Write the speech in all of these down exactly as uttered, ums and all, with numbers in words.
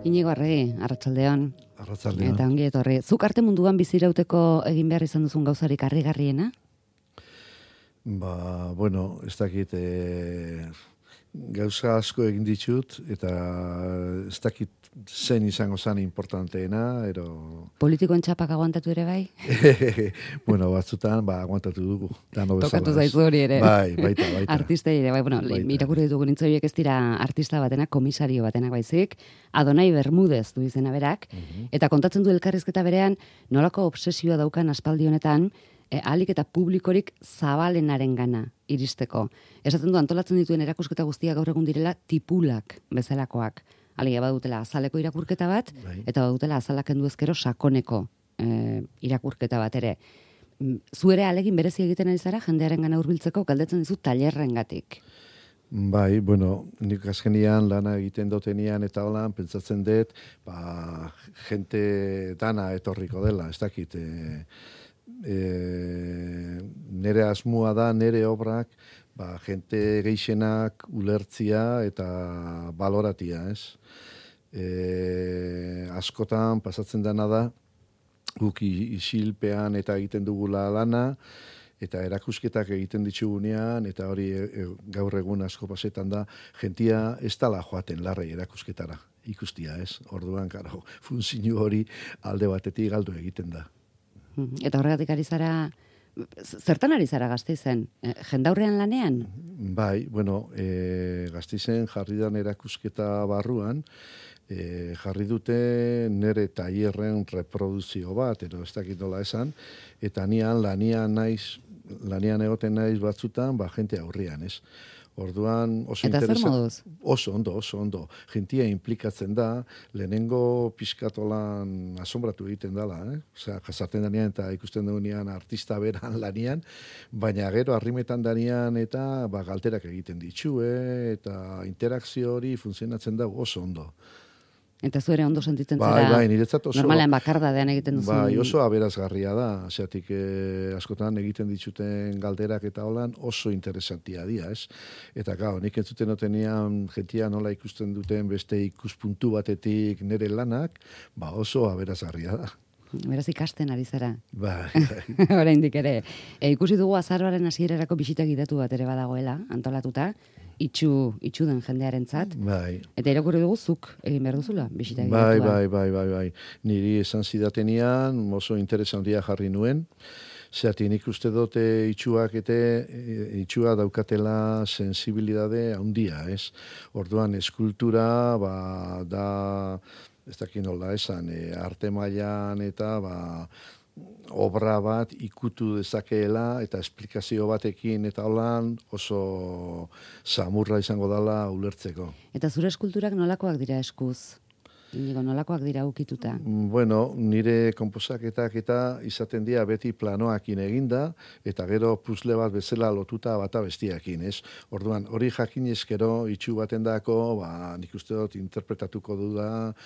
Inigo Arregi, arratsaldeon. Arratsaldeon. Eta ongi etorri. Zuk arte munduan bizirauteko egin behar izan duzun gauzarik harrigarriena? Ba, bueno, ez dakit, e, gauza asko egin ditut, eta ez dakit zen izango zen importanteena, ero... Politikoen txapak aguantatu ere bai? Bueno, batzutan, ba, aguantatu dugu. Tokatu zaizu hori ere. Bai, baita, baita. Artistei ere, bai, bueno, irakurri ditugu nintzoiek ez dira artista batenak, komisario batenak baizik, Adonai Bermudez du izena berak, uh-huh. Eta kontatzen du elkarrizketa berean, nolako obsesioa daukan aspaldi honetan, E, ahalik eta publikorik zabalenaren gana iristeko. Esaten du antolatzen dituen erakusketa guztiak gaur egun direla tipulak bezalakoak. Alegia badutela azaleko irakurketa bat, bai. Eta badutela azalak kendu ezkero sakoneko e, irakurketa bat ere. Zuere alegin berezi egiten ari zara jendearen gana hurbiltzeko galdetzen dizu tailerrengatik. Bai, bueno, nik azkenian lana egiten dotenian eta holan pentsatzen dut, ba, jente dana etorriko dela, ez dakit, e, E, nere asmoa da, nere obrak, ba, jente geixenak ulertzia eta baloratia, ez? E, askotan pasatzen dena da, guk isilpean eta egiten dugula lana, eta erakusketak egiten ditugunean, eta hori e, gaur egun asko pasetan da, jentia ez dala joaten larrei erakusketara, ikustia, ez? Orduan, karo, funtzio hori alde batetik galdu egiten da. Eta horregatik ari zara, zertan ari zara Gasteizen? Jendaurrean lanean? Bai, bueno, e, Gasteizen jarri dan erakusketa barruan, e, jarri dute nere tailerren reproduzio bat, ero ez dakit nola esan, eta nian lanian naiz, lanian egoten naiz batzutan, ba, jente aurrian, ez? Orduan oso eta zer moduz? Oso ondo, oso ondo. Gentia implikatzen da, lehenengo pizkatolan asombratu egiten dela, eh? Osea, jasarten danean eta ikusten dugunean artista beran lanian, baina gero arrimetan danean eta ba, galterak egiten ditxue, eta interakzio hori funtzionatzen da oso ondo. Eta zuere ondo sentitzen bai, zara, bai, niretzat oso, normalean bakardadean egiten duzu. Bai, oso aberazgarria da, zeatik eh, askotan egiten dituten galderak eta holan oso interesantia dira, ez? Eta gau, nik entzuten otenian jentia nola ikusten duten beste ikuspuntu batetik nire lanak, ba oso aberazgarria da. Beraz ikasten ari zara. Bai, bai. Oraindik ere. E, ikusi dugu azaroaren hasierarako bisita gidatu bat ere badagoela, antolatuta, itxu, itxu den jendearentzat. Bai. Eta irakurri dugu zuk egin behar duzula, bisita gidatua. Bai, bai, bai, bai, bai. Niri esan zidatenian, oso interesantia jarri nuen, zeatik nik uste dute itxuak eta itxua daukatela sensibilidade handia, ez? Orduan eskultura, ba, da... ez dakit nola esan, e, arte mailan eta ba, obra bat ikutu dezakeela eta esplikazio batekin eta holan oso samurra izango dela ulertzeko. Eta zure eskulturak nolakoak dira eskuz? Inigo, nolakoak dira ukituta? Bueno, nire konposaketak eta izaten dira beti planoakin eginda, eta gero puzle bat bezala lotuta bata bestiakin, ez? Orduan, hori jakin eskero itxu baten dako, ba, nik uste dut interpretatuko duda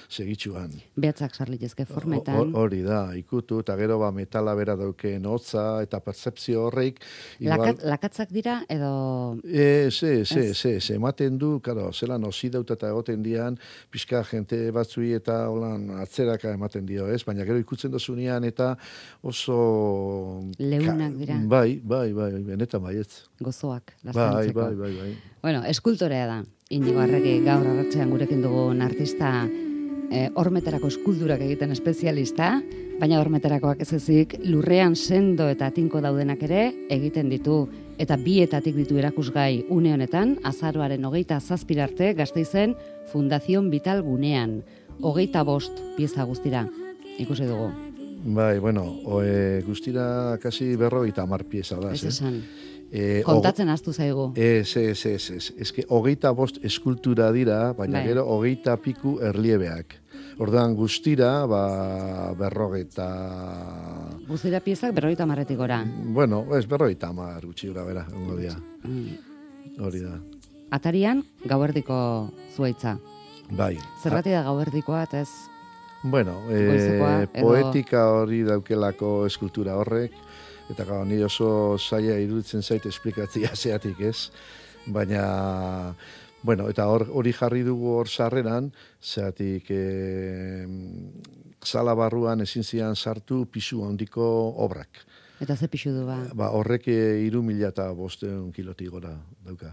segitxuan. Behatzak sarlitezke formetan. Hori da, ikutu, eta gero ba, metala bera dauken hotza, eta pertzepzio horreik. Igual... Lakat, lakatzak dira, edo... E, ze, ze, ze, ze, ematen du, karo, zelan osidauta eta egoten dian, pixka jente bat eta holan atzeraka ematen dio, ez? Baina gero ikutzen dozunean eta oso... Leunak dira. Bai, bai, bai, benetan baietz. Gozoak, bai, lastantzeko. bai, bai, bai. Bueno, eskultorea da. Inigo Arregi gaur arratsean gurekin dugun artista eh, hormetarako eskulturak egiten espezialista, baina hormetarakoak ez ezik lurrean sendo eta tinko daudenak ere egiten ditu. Eta bietatik ditu erakusgai une honetan, azaroaren hogeita zazpirarte Gasteizen Fundación Vital gunean. Hogeita bost pieza guztira, ikusi dugu. Bai, bueno, oe, guztira kasi berrogeita hamar pieza da. Ez esan. E, Kontatzen aztu zaigu. Ez, ez, ez, ez. Ez que hogeita bost eskultura dira, baina bai. Gero hogeita piku erliebeak. Orduan guztira, ba, berrogeita... Guztira piezak berrogeita hamarretik gora. Bueno, ez berrogeita hamar gutxi gura bera, ongo dia. Mm. Hori da. Atarian, gauerdiko zuaitza. Bai. Zergatik da gauerdikoa, eta ez... Bueno, e, poetika hori daukelako eskultura horrek, eta gau, ni oso zaila iruditzen zait esplikatzia zeatik, ez? Baina Bueno, eta hor, hori jarri dugu hor sarreran, zeatik e, sala barruan ezin zian sartu pisu handiko obrak. Eta ze pixu du ba? Ba, horrek hiru mila eta bosteun kilotik gora dauka.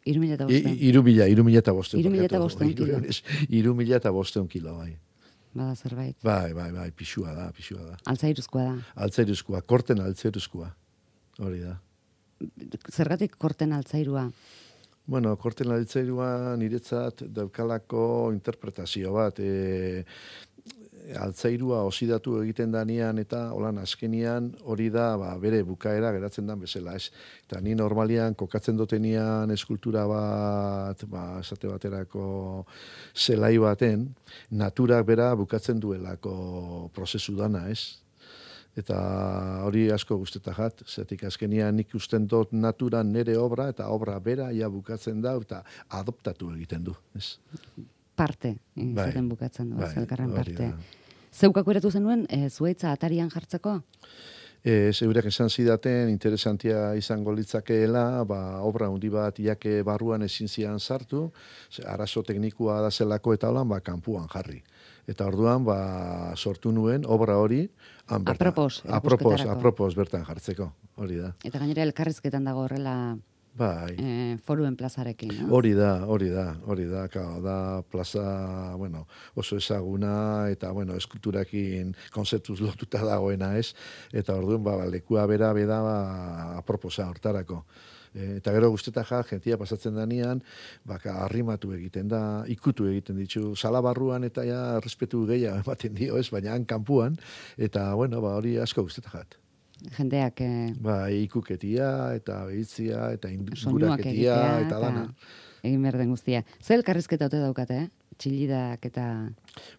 Hiru mila eta bosteun? Hiru mila, hiru mila eta bosteun. Hiru mila eta bosteun kilo. Hiru mila eta bosteun kilo, bai. Bada zerbait. Bai, bai, bai, pixua da, pixua da. Altzairuzkoa da. Altzairuzkoa, korten altzairuzkoa. Hori da. Zergatik korten altzairua? Bueno, korten altzairua niretzat daukalako interpretazio bat. E, altzairua osidatu egiten danean eta holan azkenian hori da ba, bere bukaera geratzen dan bezala. Ez. Eta ni normalian kokatzen dotenian eskultura bat, ba, esate baterako zelai baten, naturak bera bukatzen duelako prozesu dana, ez? Eta hori asko guztetak jat, zetik azkenian nik usten dut naturan nere obra, eta obra bera ja bukatzen da, eta adoptatu egiten du. Ez? Parte, bai, zaten bukatzen du, bai, elkarren parte. Da. Zeukako eratu zenuen, e, zuaitza atarian jartzeko? E, Zeurak esan zidaten, interesantia izango litzakeela, ba, obra handi bat iake barruan ezin zian sartu, arazo teknikua da zelako eta holan, ba, kanpuan jarri. Eta orduan, ba, sortu nuen, obra hori, han bertan. Apropos, apropos, apropos bertan jartzeko, hori da. Eta gainera elkarrizketan dago horrela bai. e, foruen plazarekin, no? Hori da, hori da, hori da, kao, da plaza, bueno, oso ezaguna, eta, bueno, eskulturakin konzeptuz lotuta dagoena, ez? Eta orduan, ba, lekua bera beda ba, aproposa hortarako. Eta gero guztetak ja, jentia pasatzen danean, baka arrimatu egiten da, ikutu egiten ditu, sala barruan eta ja, respetu gehiago ematen dio, ez, baina han kanpuan, eta, bueno, ba, hori asko guztetak jat. Jendeak... Eh, ba, ikuketia, eta behitzia, eta inguraketia, egitea, eta dana. Egin behar den guztia. Zer elkarrizketa ote daukate, eh? Txillidak eta...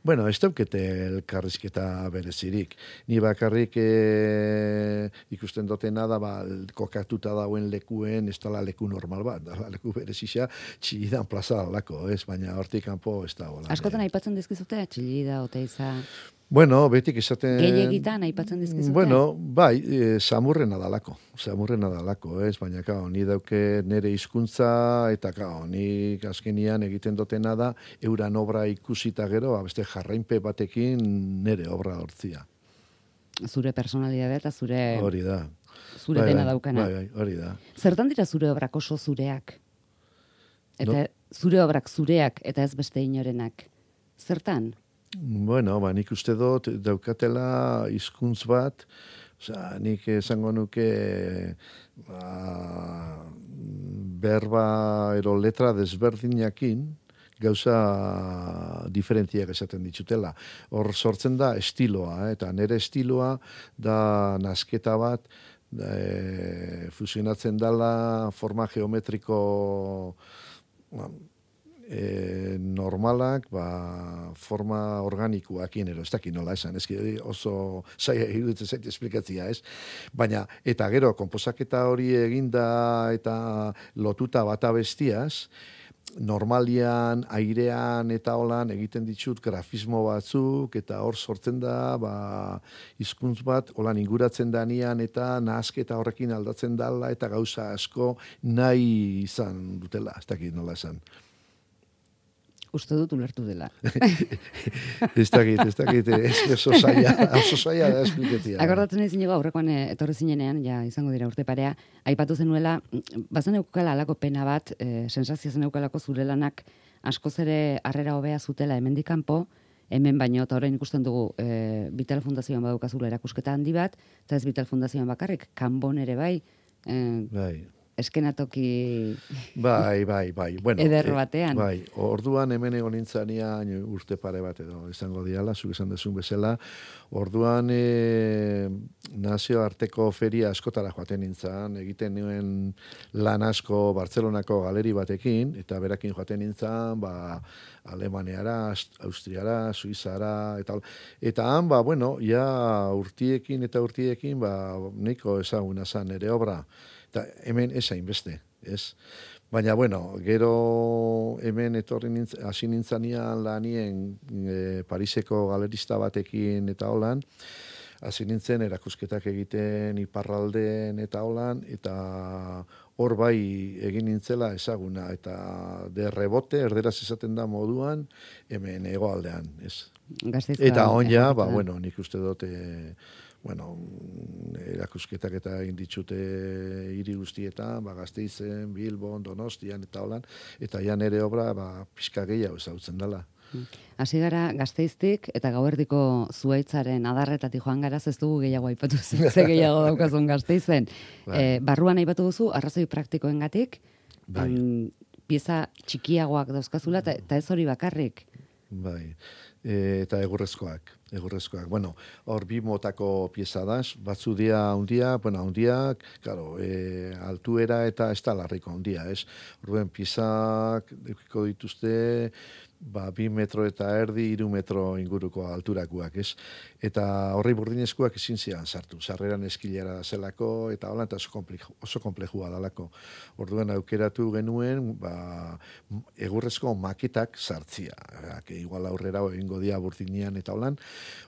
Bueno, ez daukete elkarrizketa berezirik. Ni bakarrik e, ikusten dotena da, ba, kokatuta dauen lekuen, ez dala leku normal bat, dala leku berezisa, txillidan plaza dalako, ez? Baina hortik kanpo ez da hola. Askotan aipatzen dizkizute, txillida, oteiza... Bueno, betik esaten... Gehiagitan aipatzen dizkizute? Bueno, bai, e, samurrena dalako, samurrena dalako, ez? Baina, kao, ni dauke nere hizkuntza eta, kao, ni azkenian egiten dotena da, euran obra ikusita gero, beste jarrainpe batekin nere obra hortzia. Zure personalidadea eta zure... Hori da. Zure bai, dena bai, daukana. Bai, bai, hori da. Zertan dira zure obrak oso zureak? Eta no? Zure obrak zureak eta ez beste inorenak. Zertan? Bueno, ba, nik uste dut daukatela hizkuntz bat, osea, nik esango nuke ba, berba ero letra desberdinakin gauza diferentziak esaten ditutela. Hor sortzen da estiloa, eh? Eta nire estiloa da nasketa bat e, fusionatzen dela forma geometriko E, normalak, ba, forma organikoakin, ero, ez dakit nola esan, ez oso zaila iruditzen zaite esplikatzia, ez? Baina, eta gero, konposaketa hori eginda eta lotuta bata bestiaz, normalian, airean eta holan egiten ditut grafismo batzuk, eta hor sortzen da, ba, hizkuntz bat, holan inguratzen danian, eta nahasketa horrekin aldatzen dala, eta gauza asko nahi izan dutela, ez dakit nola esan. Uste dut ulertu dela. Ez dakit, ez dakit, ez oso zaila, oso zaila da espliketia. Akordatzen ezin ego, aurrekoan etorri zinenean, ja izango dira urte parea, aipatu zenuela, bazen eukala alako pena bat, e, sensazio zen eukalako zure lanak askoz ere harrera hobea zutela hemendik kanpo, hemen baino, eta orain ikusten dugu, e, Vital Fundazioan badukazula erakusketa handi bat, eta ez Vital Fundazioan bakarrik, kanbon ere bai, e, bai. eskenatoki bai, bai, bai. Bueno, eder batean. E, bai, orduan hemen egon nintzanian urte pare bat edo izango diala, zuk esan dezun bezala, orduan e, nazioarteko feria askotara joaten nintzan, egiten nuen lan asko Bartzelonako galeri batekin, eta berakin joaten nintzan, ba, Alemaniara, Austriara, Suizara, eta eta han, ba, bueno, ja urtiekin eta urtiekin, ba, nahiko ezaguna zan ere obra, eta hemen esain beste, ez? Baina, bueno, gero hemen etorri nintzen, hasi nintzanian lanien e, Pariseko galerista batekin eta holan, hasi nintzen erakusketak egiten iparralden eta holan, eta hor bai egin nintzela ezaguna, eta de rebote, erderaz esaten da moduan, hemen hegoaldean, ez. Gasteizko Eta on ja, egoaldean. ba, bueno, nik uste dut, e, bueno, erakusketak eta egin ditxute hiri guztietan, ba, Gasteizen, Bilbon, Donostian eta holan, eta ja nere obra, ba, pixka gehiago ezagutzen dela. Hasi gara Gasteiztik eta Gauerdiko zuaitzaren adarretatik joan gara, ez dugu gehiago aipatu ze gehiago daukazun Gasteizen. Bai. E, barruan aipatu duzu arrazoi praktikoengatik, Bai. em, pieza txikiagoak dauzkazula eta eta ez hori bakarrik. Bai, e, eta egurrezkoak, egurrezkoak. Bueno, hor bi motako pieza da, batzu dia handia, bueno, handiak, claro, e, altuera eta ez da larriko handia, ez? Orduan piezak edukiko dituzte, ba, bi metro eta erdi, hiru metro inguruko alturakoak, ez? Eta horri burdinezkoak ezin zian sartu, sarreran eskilera zelako, eta hola, eta oso komplexu, oso komplexua dalako. Orduan aukeratu genuen, ba, egurrezko maketak sartzia, que igual aurrera egingo dia burdinian eta holan.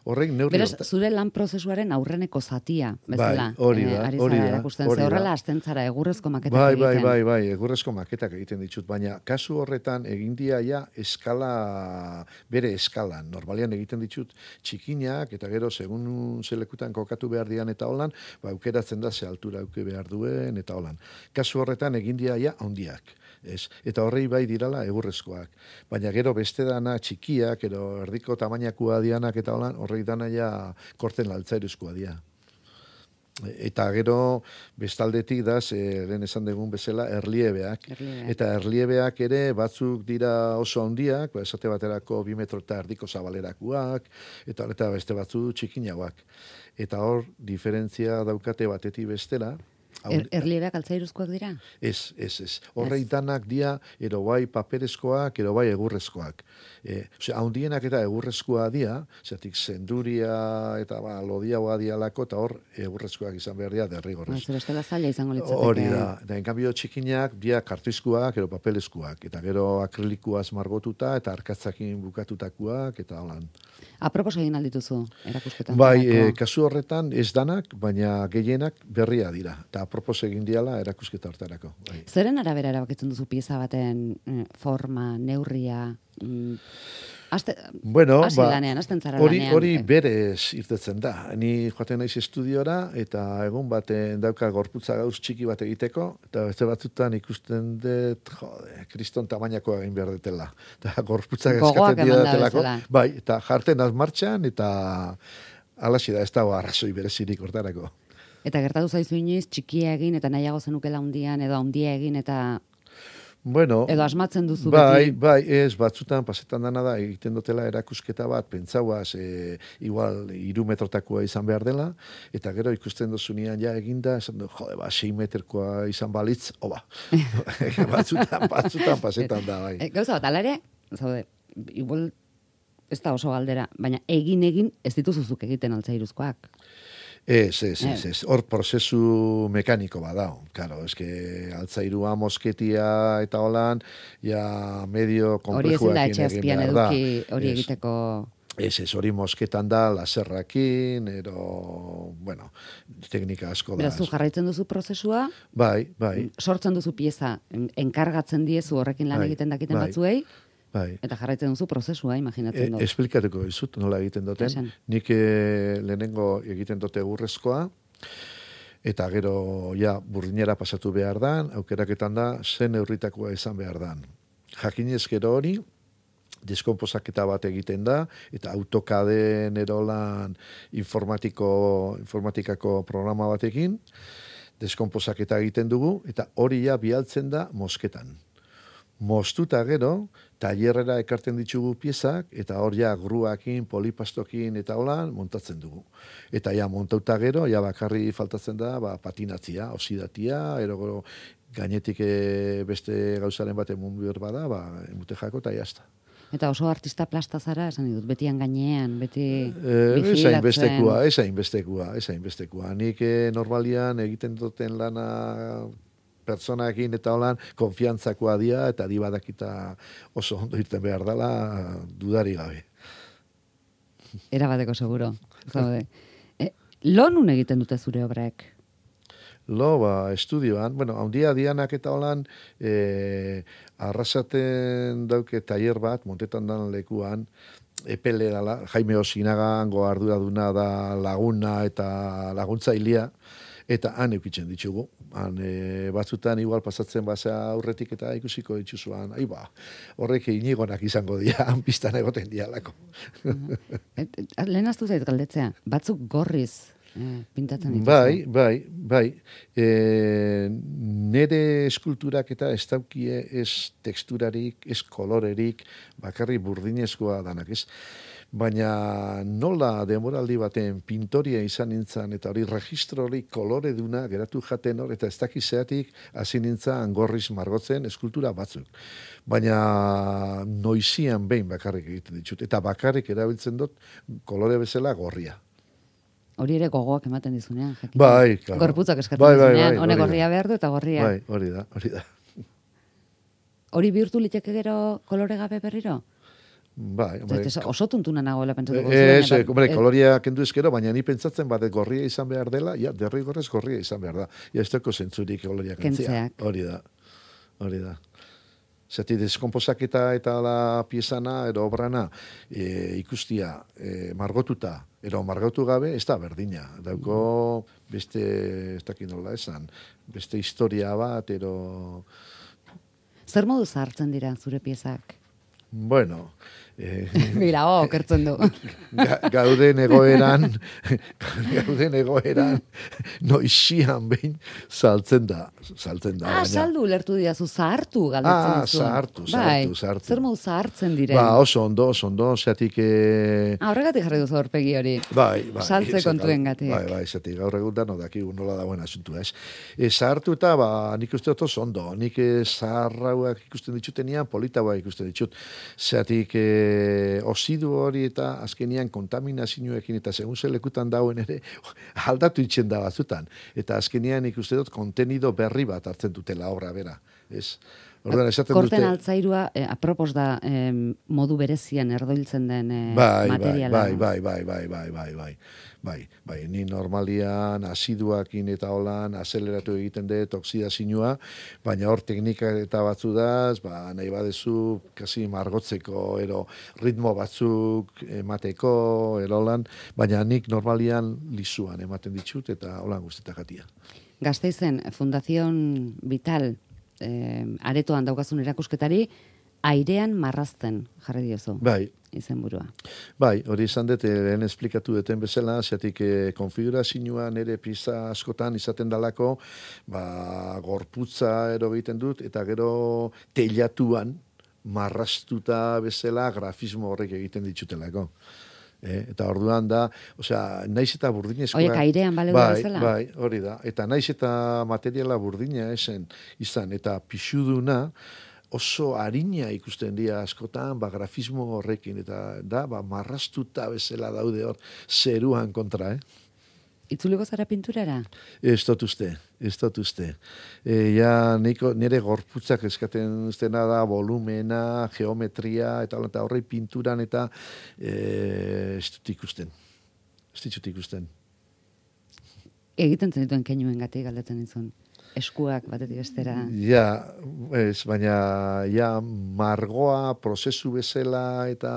Horrek neurri... Beraz, zure lan prozesuaren aurreneko zatia, bezala. Bai, hori da, eh, ari hori zara da, erakusten. hori Ze da. horrela hasten zara egurrezko maketak Bai, egiten. bai, bai, bai, egurrezko maketak egiten ditut, baina kasu horretan egin dia ja eskala, bere eskalan. Normalian egiten ditut txikinak, eta gero segun zelekutan kokatu behar dian eta holan, ba, aukeratzen da ze altura auke behar duen eta holan. Kasu horretan egin dia ja handiak. Ez. Eta horrei bai dirala egurrezkoak. Baina gero beste dana txikiak, ero erdiko tamainakoa dianak eta holan, horrei dana ja korten altzairuzkoa dia. Eta gero bestaldetik da, lehen esan dugun bezala, erliebeak. Erliebeak. Eta erliebeak ere batzuk dira oso handiak, ba, esate baterako bi metro eta erdiko zabalerakoak, eta, eta beste batzu txikinagoak. Eta hor, diferentzia daukate batetik bestera. Er, erliebeak altzairuzkoak dira? Ez, ez, ez. Horrei danak dia, ero bai paperezkoak, ero bai egurrezkoak. E, osea, handienak eta egurrezkoa dia, zeatik zenduria eta ba, lodiagoa dialako, eta hor egurrezkoak izan behar dia derrigorrez. Zer bestela zaila izango litzateke. Hori da. Eta enkanbio txikinak, dia kartizkoak, ero papelezkoak, eta gero akrilikoaz margotuta, eta arkatzakin bukatutakoak, eta holan. Apropos egin aldituzu, erakusketan. Bai, e, kasu horretan ez danak, baina gehienak berria dira. Eta apropos egin diala erakusketa hortarako. Bai. Zeren arabera erabakitzen duzu pieza baten eh, forma, neurria, mm, Aste, bueno, hasi ba, lanean, hasten zara hori, lanean. hori berez irtetzen da. Ni joaten naiz estudiora, eta egun baten dauka gorputza gauz txiki bat egiteko, eta beste batzutan ikusten dut, jode, kriston tamainakoa egin behar detela. Eta gorputzak Gogoak eskatzen eman da didatelako. bezala. Bai, eta jarten az martxan, eta alaxi da, ez dago arrazoi berezirik hortarako. Eta gertatu zaizu inoiz, txikia egin, eta nahiago zenukela handian, edo handia egin, eta Bueno, edo asmatzen duzu bai, beti. bai, ez, batzutan pasetan dana da, egiten dutela erakusketa bat, pentsauaz, e, igual, iru metrotakoa izan behar dela, eta gero ikusten dozunean ja eginda, esan du, jode, ba, sei meterkoa izan balitz, oba. batzutan, batzutan pasetan da, bai. E, gauza bat, alare, zaude, igual, ez da oso galdera, baina egin-egin ez dituzuzuk egiten altzairuzkoak. Ez, ez, ez, ez. Hor prozesu mekaniko badao. Claro, eske altzairua, mosketia eta holan, ja medio Hori ezin da komplejuakin etxe egin azpian behar da. eduki hori Ez. egiteko. Ez, ez, hori mosketan da, laserrakin, ero, bueno, teknika asko da. Beraz, zu jarraitzen duzu prozesua, Bai, bai, sortzen duzu pieza, en- enkargatzen diezu horrekin lan Bai, egiten dakiten bai. batzuei, bai. eta jarraitzen duzu prozesua, E, imaginatzen dut. esplikatuko dizut nola egiten duten. Esan. Nik e, lehenengo egiten dute egurrezkoa, eta gero ja burdinera pasatu behar dan, aukeraketan da zen neurritakoa izan behar dan. Jakinez gero hori, deskomposaketa bat egiten da, eta autokaden erolan informatiko, informatikako programa batekin, deskomposaketa egiten dugu, eta hori ja bialtzen da mosketan. Moztuta gero, tailerrera ekarten ditugu piezak, eta hor ja gruakin, polipastokin eta holan montatzen dugu. Eta ja montauta gero, ja bakarri faltatzen da ba, patinatzia, oxidatia, ero gero gainetik e, beste gauzaren bat emun behar bada, ba, emute jako eta jazta. Eta oso artista plasta zara, esan dut, betian gainean, beti Eh, Ez bijilatzen. hainbestekoa, ez hainbestekoa, ez hainbestekoa. Nik eh, normalian egiten duten lana pertsonakin eta holan konfiantzakoa dia, eta di badakita oso ondo irten behar dela, dudari gabe. Erabateko seguro. Zaude. E, Lo nun egiten dute zure obrek? Lo, ba, estudioan, bueno, handia dianak eta holan, e, arrasaten dauke tailer bat, montetan dan lekuan, epele dala, Jaime Osinagan, goarduraduna da laguna eta laguntzailea, eta han eukitzen ditugu. Han, e, batzutan igual pasatzen basa aurretik eta ikusiko dituzuan, ai ba, horrek inigonak izango dira, han pistan egoten dialako. Lehen aztu zait galdetzea, batzuk gorriz Eh, pintatzen dituzu. Bai, bai, bai. E, nere eskulturak eta ez daukie ez teksturarik, ez kolorerik, bakarri burdinezkoa danak, ez? Baina nola demoraldi baten pintoria izan nintzen, eta hori registro hori kolore duna geratu jaten hor, eta ez dakizeatik hasi nintzen gorriz margotzen eskultura batzuk. Baina noizian behin bakarrik egiten ditut, eta bakarrik erabiltzen dut kolore bezala gorria. Hori ere gogoak ematen dizunean, jakin. Bai, claro. Gorputzak eskatzen bai, bai, dizunean, bai, hone hori gorria behar du eta gorria. Bai, hori da, hori da. Hori bihurtu liteke gero kolore gabe berriro? Bai, bai. Zait, oso tuntuna nagoela pentsatuko Ez, zuen. hombre, koloria kendu ezkero, baina ni pentsatzen bat gorria izan behar dela, ja, derrigorrez gorria izan behar da. Ja, ez deko zentzurik koloria kentzea. Kentzeak. Hori da, hori da. Zati, deskomposaketa eta la piezana, edo obrana, e, ikustia, e, margotuta, edo margotu gabe, ez da berdina. Dauko beste, ez dakit nola esan, beste historia bat, edo... Zer modu zahartzen dira zure piezak? Bueno... Eh, Mira, oh, kertzen du. Ga, gauden egoeran, gauden egoeran, noixian behin saltzen da, saltzen da. Ah, baina. saldu lertu diazu, zahartu galdetzen Ah, duzu. zahartu, zahartu, bai. zahartu. Zer modu zahartzen diren? Ba, oso ondo, oso ondo, zeatik... Eh, Ah, horregatik jarri duzu horpegi hori. bai, bai. Saltze ze- kontuen gatik. Bai, bai, zeatik gaur egun da, no dakigu nola dagoen asuntua, ez. E, zahartu eta, ba, nik uste dut oso ondo, nik eh, zaharrauak ikusten ditutenian, politauak ikusten ditut. Zeatik, eh, ozidu hori eta azkenian kontaminazioekin eta segun ze lekutan dauen ere aldatu itzen da batzutan. Eta azkenian ikuste dut kontenido berri bat hartzen dutela obra bera. Ez? Orduan, esaten Korten dute... altzairua, eh, apropos da eh, modu berezian erdoiltzen den eh, Bai, bai, materiala. bai, bai, bai, bai, bai, bai, bai, bai, bai, ni normalian, asiduakin eta holan, azeleratu egiten dut oksidazioa, baina hor teknika eta batzu daz, ba, nahi badezu, kasi margotzeko, ero ritmo batzuk emateko, ero holan, baina nik normalian lizuan ematen ditut, eta holan guztetak atia. Gasteizen, Fundación Vital, eh, aretoan daukazun erakusketari, airean marrazten jarri diozu. Bai, Izenburua. bai, hori izan dut, eh, lehen esplikatu duten bezala, zeatik eh, konfigurazioa nire pizza askotan izaten dalako, ba, gorputza ero egiten dut, eta gero teilatuan marrastuta bezala grafismo horrek egiten ditutelako. Eh, eta orduan da, osea, naiz eta burdinezkoa... Oiek airean baleu bai, bezala? Bai, hori da. Eta naiz eta materiala burdina esen izan, eta pixuduna, oso harina ikusten dira askotan, ba, grafismo horrekin, eta da, ba, marrastuta bezala daude hor, zeruan kontra, eh? Itzuliko zara pinturara? Ez dut uste, ez dut uste. E, ja, niko, nire gorputzak eskaten zena da, volumena, geometria, eta hola, eta horrei pinturan, eta e, ez dut ikusten. Ez ditut ikusten. Egiten zenituen keinuen gatik galdetzen izun. Eskuak batetik bestera. Ja, ez, baina ja, margoa, prozesu bezala, eta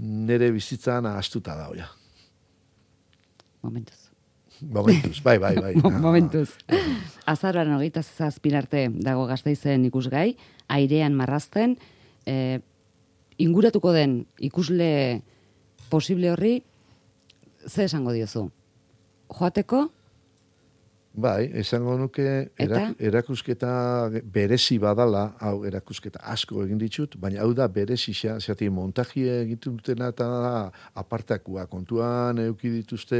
nire bizitzan ahaztuta dago, ja. Momentuz. Momentuz, bai, bai, bai. Momentuz. Azaroan hogeita zazpin arte dago Gasteizen ikusgai, airean marrazten, eh, inguratuko den ikusle posible horri, ze esango diozu? Joateko? Bai, esango nuke erak, erakusketa berezi badala, hau erakusketa asko egin ditut, baina hau da berezi xa, zati montajie egiten dutena eta da apartakua. Kontuan euki dituzte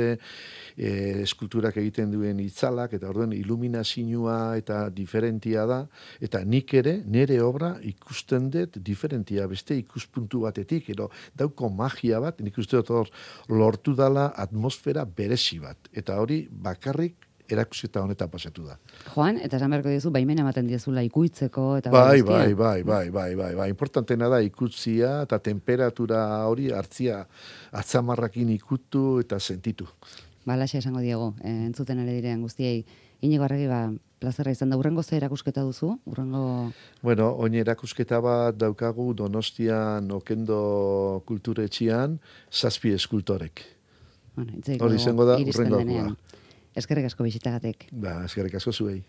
e, eskulturak egiten duen itzalak, eta orduen iluminazioa eta diferentia da, eta nik ere, nire obra ikusten dut diferentia, beste ikuspuntu batetik, edo dauko magia bat, nik uste dut hor lortu dala atmosfera berezi bat, eta hori bakarrik erakusketa honetan pasatu da. Joan, eta esan beharko diozu, baimena ematen diezula ikuitzeko, eta bai, guztia. bai, bai, bai, bai, bai, bai. Importantena da ikutzia eta temperatura hori hartzia atzamarrakin ikutu eta sentitu. balaxe esango diegu, eh, entzuten ere diren guztiei. Inigo Arregi, ba, plazerra izan da, urrengo ze erakusketa duzu? Urrengo... Bueno, oin erakusketa bat daukagu Donostian Okendo kulturetxian zazpi eskultorek. Bueno, hori izango da iristen urrengoa. denean. Eskerrik asko bisitagatik. Ba, eskerrik asko zuei.